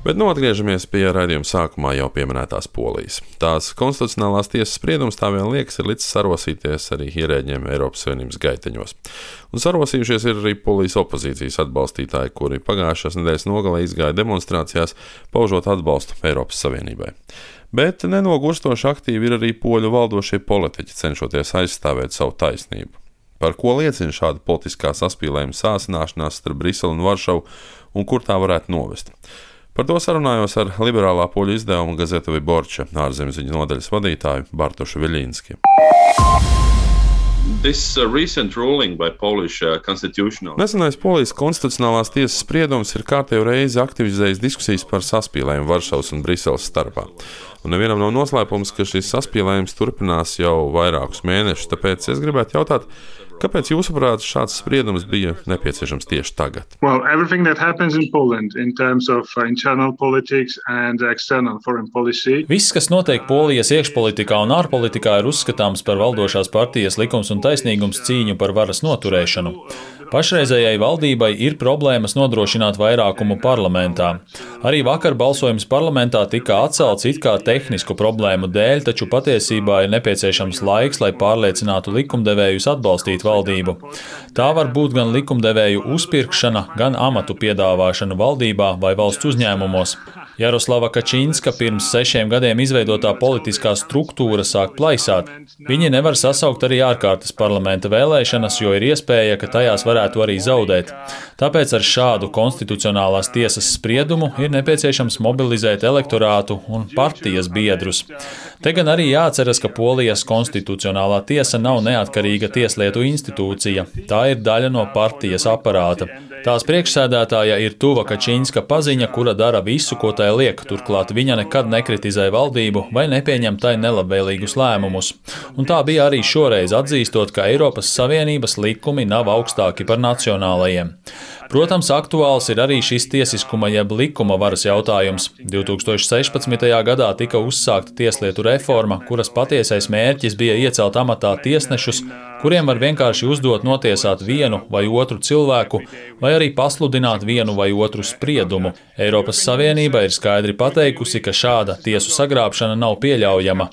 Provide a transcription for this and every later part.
Bet atgriežamies pie raidījuma sākumā jau pieminētās Polijas. Tās konstitucionālās tiesas spriedums tā vien liekas ir līdz sarosīties arī ierēģiem Eiropas Savienības gaiteņos. Un sarosījušies ir arī Polijas opozīcijas atbalstītāji, kuri pagājušās nedēļas nogalē izgāja demonstrācijās, paužot atbalstu Eiropas Savienībai. Bet nenogurstoši aktīvi ir arī poļu valdošie politiķi, cenšoties aizstāvēt savu taisnību. Par ko liecina šāda politiskā saspīlējuma sāsināšanās starp Briseli un Varšavu un kur tā varētu novest? Par to sarunājos ar liberālā poļu izdevuma Gazeta Wyborcza ārzemziņu nodaļas vadītāju Bartošu Viļinski. Nesenais Polijas konstitucionālās tiesas spriedums ir kārtējo reizi aktivizējis diskusijas par saspīlējumu Varšavas un Briseles starpā. Un nevienam nav noslēpums, ka šis saspīlējums turpinās jau vairākus mēnešus, tāpēc es gribētu jautāt, kāpēc jūsuprāt šāds spriedums bija nepieciešams tieši tagad? Viss, kas notiek Polijas iekšpolitikā un ārpolitikā, ir uzskatāms par valdošās partijas Likums un taisnīgums cīņu par varas noturēšanu. Pašreizējai valdībai ir problēmas nodrošināt vairākumu parlamentā. Arī vakar balsojums parlamentā tika atcelts it kā tehnisku problēmu dēļ, taču patiesībā ir nepieciešams laiks, lai pārliecinātu likumdevējus atbalstīt valdību. Tā var būt gan likumdevēju uzpirkšana, gan amatu piedāvāšana valdībā vai valsts uzņēmumos. Jaroslava Kačinska pirms 6 gadiem izveidotā politiskā struktūra sāk plaisāt. Viņi nevar sasaukt arī ārkārtas parlamenta vēlēšanas, jo ir iespēja, ka tajās varētu arī zaudēt. Tāpēc ar šādu konstitucionālās tiesas spriedumu ir nepieciešams mobilizēt elektorātu un partijas biedrus. Te gan arī jāatceras, ka Polijas konstitucionālā tiesa nav neatkarīga tieslietu institūcija. Tā ir daļa no partijas aparāta. Tās priekšsēdētāja ir Tuva Kačinska paziņa, kura dara visu, ko tai liek, turklāt viņa nekad nekritizē valdību vai nepieņem tai nelabvēlīgus lēmumus. Un tā bija arī šoreiz, atzīstot, ka Eiropas Savienības likumi nav augstāki par nacionālajiem. Protams, aktuāls ir arī šis tiesiskuma jeb likuma varas jautājums. 2016. gadā tika uzsākta tieslietu reforma, kuras patiesais mērķis bija iecelt amatā tiesnešus, kuriem var vienkārši uzdot notiesāt vienu vai otru cilvēku, vai arī pasludināt vienu vai otru spriedumu. Eiropas Savienība ir skaidri pateikusi, ka šāda tiesu sagrābšana nav pieļaujama.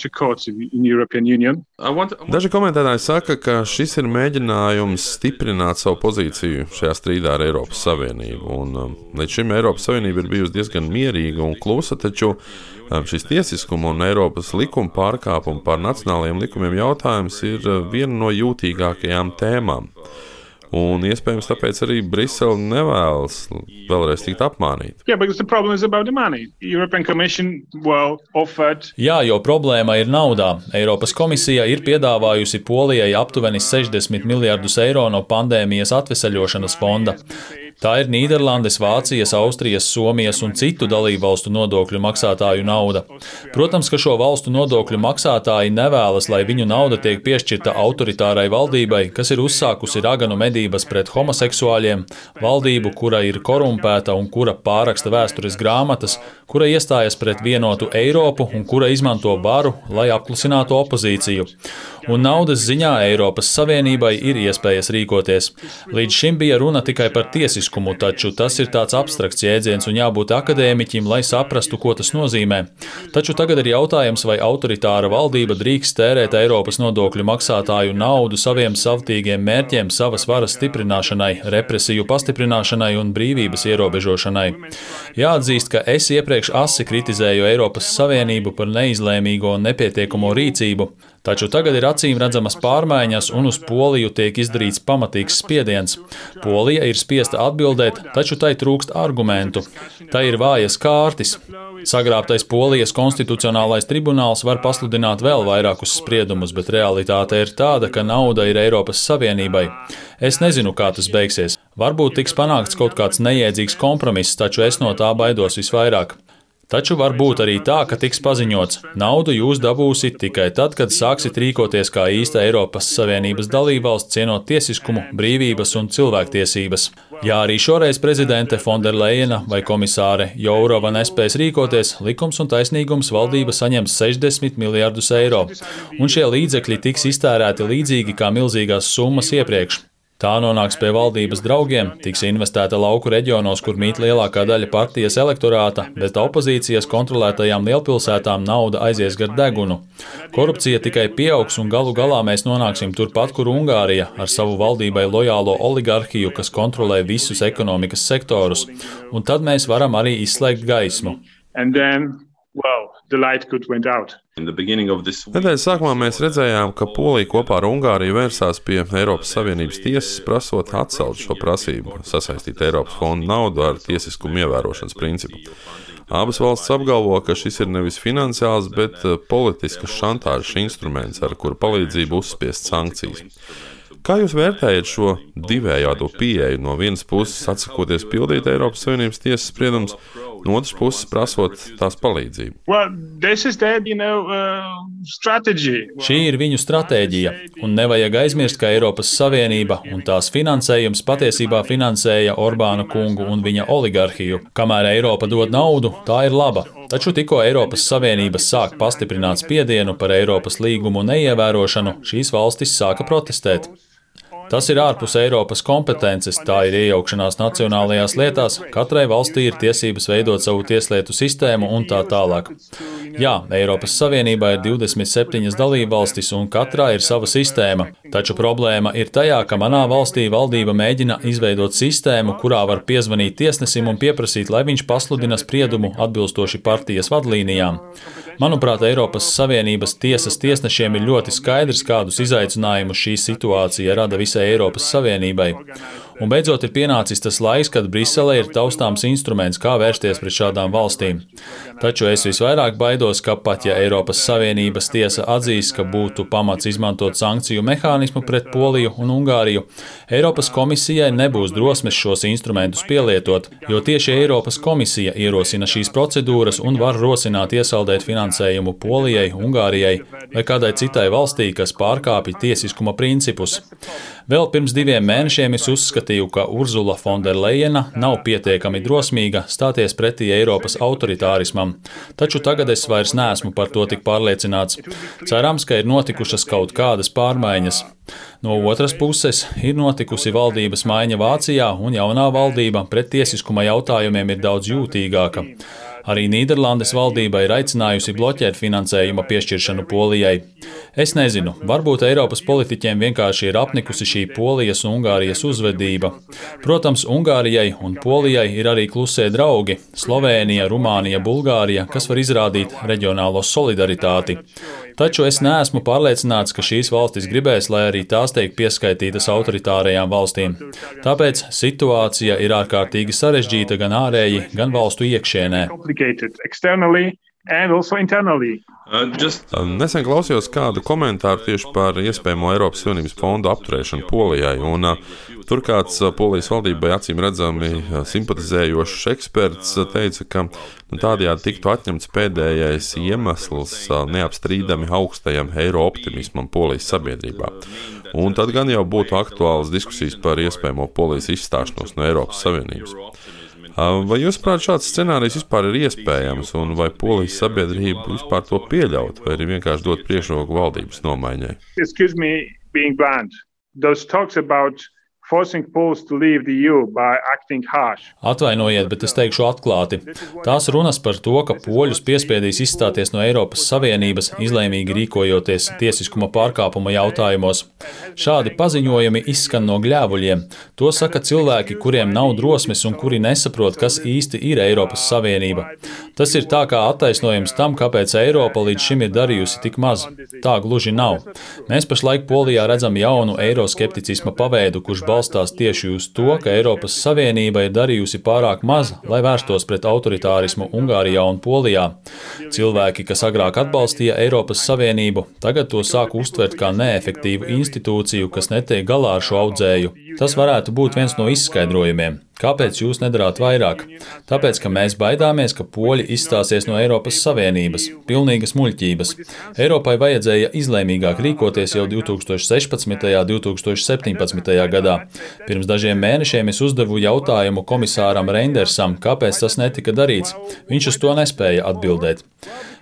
Daži komentētāji saka, ka šis ir mēģinājums stiprināt savu pozīciju šajā strīdā ar Eiropas Savienību. Un līdz šim Eiropas Savienība ir bijusi diezgan mierīga un klusa, taču šis tiesiskuma un Eiropas likuma pārkāpuma pār nacionālajiem likumiem jautājums ir viena no jūtīgākajām tēmām. Un iespējams tāpēc arī Brisele nevēlas vēlreiz tikt apmānīta. Jā, jo problēma ir naudā. Eiropas komisija ir piedāvājusi Polijai aptuveni 60 miljardus eiro no pandēmijas atveseļošanas fonda. Tā ir Nīderlandes, Vācijas, Austrijas, Somijas un citu dalībvalstu nodokļu maksātāju nauda. Protams, ka šo valstu nodokļu maksātāji nevēlas, lai viņu nauda tiek piešķirta autoritārai valdībai, kas ir uzsākusi raganu medības pret homoseksuāļiem, valdību, kura ir korumpēta un kura pārraksta vēstures grāmatas, kura iestājas pret vienotu Eiropu un kura izmanto varu, lai apklusinātu opozīciju. Un naudas ziņā Eiropas Savienībai ir iespējas rīkoties. Līdz šim bija runa tikai par tiesiskumu, taču tas ir tāds abstrakts jēdziens un jābūt akadēmiķim, lai saprastu, ko tas nozīmē. Taču tagad ir jautājums, vai autoritāra valdība drīkst tērēt Eiropas nodokļu maksātāju naudu saviem savtīgiem mērķiem, savas varas stiprināšanai, represiju pastiprināšanai un brīvības ierobežošanai. Jāatzīst, ka es iepriekš asi kritizēju Eiropas Savienību par neizlēmīgo un nepietiekamo rīcību. Taču tagad ir acīm redzamas pārmaiņas un uz Poliju tiek izdarīts pamatīgs spiediens. Polija ir spiesta atbildēt, taču tai trūkst argumentu. Tai ir vājas kārtis. Sagrābtais Polijas konstitucionālais tribunāls var pasludināt vēl vairākus spriedumus, bet realitāte ir tāda, ka nauda ir Eiropas Savienībai. Es nezinu, kā tas beigsies. Varbūt tiks panākts kaut kāds nejēdzīgs kompromiss, taču es no tā baidos visvairāk. Taču var būt arī tā, ka tiks paziņots, naudu jūs dabūsiet tikai tad, kad sāksit rīkoties kā īsta Eiropas Savienības dalībvalsts, cienot tiesiskumu, brīvības un cilvēktiesības. Ja arī šoreiz prezidente Fonderleina vai komisāre Jourova nespēs rīkoties, Likums un taisnīgums valdība saņems 60 miljardus eiro, un šie līdzekļi tiks iztērēti līdzīgi kā milzīgās summas iepriekš. Tā nonāks pie valdības draugiem, tiks investēta lauku reģionos, kur mīt lielākā daļa partijas elektorāta, bet opozīcijas kontrolētajām lielpilsētām nauda aizies gar degunu. Korupcija tikai pieaugs un galu galā mēs nonāksim turpat, kur Ungārija, ar savu valdībai lojālo oligarhiju, kas kontrolē visus ekonomikas sektorus, un tad mēs varam arī izslēgt gaismu. Nedēļas sākumā mēs redzējām, ka Polija kopā ar Ungāriju vērsās pie Eiropas Savienības tiesas, prasot atcelt šo prasību, sasaistīt Eiropas fondu naudu ar tiesiskumu ievērošanas principu. Abas valstis apgalvo, ka šis ir nevis finansiāls, bet politiskas šantāžas instruments, ar kuru palīdzību uzspiest sankcijas. Kā jūs vērtējat šo divējādo pieeju? No vienas puses atsakoties pildīt Eiropas Savienības tiesas spriedumus, no otras puses prasot tās palīdzību? Šī ir viņu stratēģija, un nevajag aizmirst, ka Eiropas Savienība un tās finansējums patiesībā finansēja Orbāna kungu un viņa oligarhiju. Kamēr Eiropa dod naudu, tā ir laba. Taču tikko Eiropas Savienība sāk pastiprināt spiedienu par Eiropas līgumu neievērošanu, šīs valstis sāka protestēt. Tas ir ārpus Eiropas kompetences, tā ir iejaukšanās nacionālajās lietās, katrai valstī ir tiesības veidot savu tieslietu sistēmu un tā tālāk. Jā, Eiropas Savienībā ir 27 dalībvalstis un katrā ir sava sistēma, taču problēma ir tajā, ka manā valstī valdība mēģina izveidot sistēmu, kurā var piezvanīt tiesnesim un pieprasīt, lai viņš pasludina spriedumu atbilstoši partijas vadlīnijām. Manuprāt, Eiropas Savienības tiesas tiesnešiem ir ļoti skaidrs, kādus izaicinājumus šī situācija rada visai Eiropas Savienībai. Un beidzot ir pienācis tas laiks, kad Brisele ir taustāms instruments, kā vērsties pret šādām valstīm. Taču es visvairāk baidos, ka pat ja Eiropas Savienības tiesa atzīs, ka būtu pamats izmantot sankciju mehānismu pret Poliju un Ungāriju, Eiropas komisijai nebūs drosmes šos instrumentus pielietot, jo tieši Eiropas komisija ierosina šīs procedūras un var rosināt iesaldēt finansējumu Polijai, Ungārijai vai kādai citai valstī, kas pārkāpj tiesiskuma principus. Vēl pirms 2 mēnešiem es uzskatīju, ka Urzula Fonderlejena nav pietiekami drosmīga stāties pretī Eiropas autoritārismam, taču tagad es vairs neesmu par to tik pārliecināts. Cerams, ka ir notikušas kaut kādas pārmaiņas. No otras puses, ir notikusi valdības maiņa Vācijā, un jaunā valdība pret tiesiskuma jautājumiem ir daudz jūtīgāka. Arī Nīderlandes valdība ir aicinājusi bloķēt finansējuma piešķiršanu Polijai. Es nezinu, varbūt Eiropas politiķiem vienkārši ir apnikusi šī Polijas un Ungārijas uzvedība. Protams, Ungārijai un Polijai ir arī klusie draugi – Slovēnija, Rumānija, Bulgārija, kas var izrādīt reģionālo solidaritāti. Taču es neesmu pārliecināts, ka šīs valstis gribēs, lai arī tās tiek pieskaitītas autoritārajām valstīm. Tāpēc situācija ir ārkārtīgi sarežģīta gan ārēji, gan valstu iekšienē. Nesen klausījos kādu komentāru tieši par iespējamo Eiropas Savienības fondu apturēšanu Polijai, un tur kāds Polijas valdībai acīm redzami simpatizējošs eksperts teica, ka tādējādi tiktu atņemts pēdējais iemesls neapstrīdami augstajam eiro optimismam Polijas sabiedrībā. Un tad gan jau būtu aktuālas diskusijas par iespējamo Polijas izstāšanos no Eiropas Savienības. Vai jūs prāt šāds scenārijs vispār ir iespējams, un vai Polijas sabiedrība vispār to pieļaut, vai arī vienkārši dot priekšroku valdības nomaiņai? Atvainojiet, bet es teikšu atklāti. Tās runas par to, ka poļus piespiedīs izstāties no Eiropas Savienības, izlēmīgi rīkojoties tiesiskuma pārkāpuma jautājumos. Šādi paziņojumi izskan no gļēvuļiem. To saka cilvēki, kuriem nav drosmes un kuri nesaprot, kas īsti ir Eiropas Savienība. Tas ir tā kā attaisnojums tam, kāpēc Eiropa līdz šim ir darījusi tik maz. Tā gluži nav. Mēs pašlaik Polijā redzam jaunu eiroskepticisma paveidu, kurš balstās tieši uz to, ka Eiropas Savienība ir darījusi pārāk maz, lai vērstos pret autoritārismu Ungārijā un Polijā. Cilvēki, kas agrāk atbalstīja Eiropas Savienību, tagad to sāk uztvert kā neefektīvu institūciju, kas netiek galā ar šo audzēju. Tas varētu būt viens no izskaidrojumiem. Kāpēc jūs nedarāt vairāk? Tāpēc, ka mēs baidāmies, ka poļi izstāsies no Eiropas Savienības. Pilnīgas muļķības. Eiropai vajadzēja izlēmīgāk rīkoties jau 2016. un 2017. gadā. Pirms dažiem mēnešiem es uzdevu jautājumu komisāram Reindersam, kāpēc tas netika darīts. Viņš uz to nespēja atbildēt.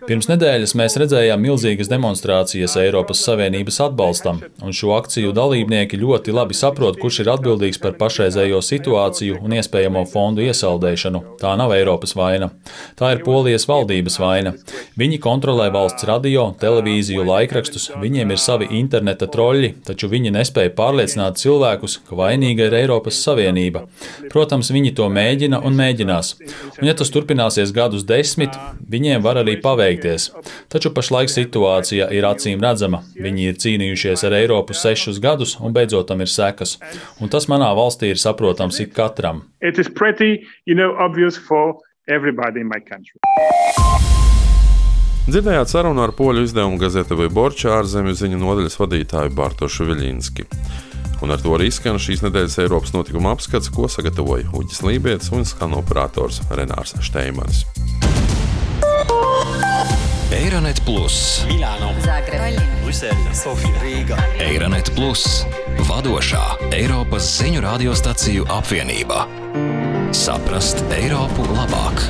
Pirms nedēļas mēs redzējām milzīgas demonstrācijas Eiropas Savienības atbalstam, un šo akciju dalībnieki ļoti labi saprot, kurš ir atbildīgs par pašreizējo situāciju un iespējamo fondu iesaldēšanu. Tā nav Eiropas vaina. Tā ir Polijas valdības vaina. Viņi kontrolē valsts radio, televīziju, laikrakstus, viņiem ir savi interneta troļļi, taču viņi nespēja pārliecināt cilvēkus, ka vainīga ir Eiropas Savienība. Protams, viņi to mēģina un mēģinās. Un ja tas turpināsies gadus 10, viņiem var arī paveikties. Taču pašlaik situācija ir acīm redzama. Viņi ir cīnījušies ar Eiropu 6 gadus un beidzot tam ir sekas. Un tas manā valstī ir saprotams ik katram. Dzirdējāt sarunu ar poļu izdevumu gazete Wyborcza ārzemju ziņu nodaļas vadītāju Bartošu Viļinski. Un ar to arī skan šīs nedēļas Eiropas notikuma apskats, ko sagatavoja Uģis Lībietis un skan operators Renārs Šteimanis. Eironet Plus, Milāno, Zagreba, Brisele, Sofija, Rīga. Eironet Plus, vadošā Eiropas ziņu radiostaciju apvienība. Saprast Eiropu labāk.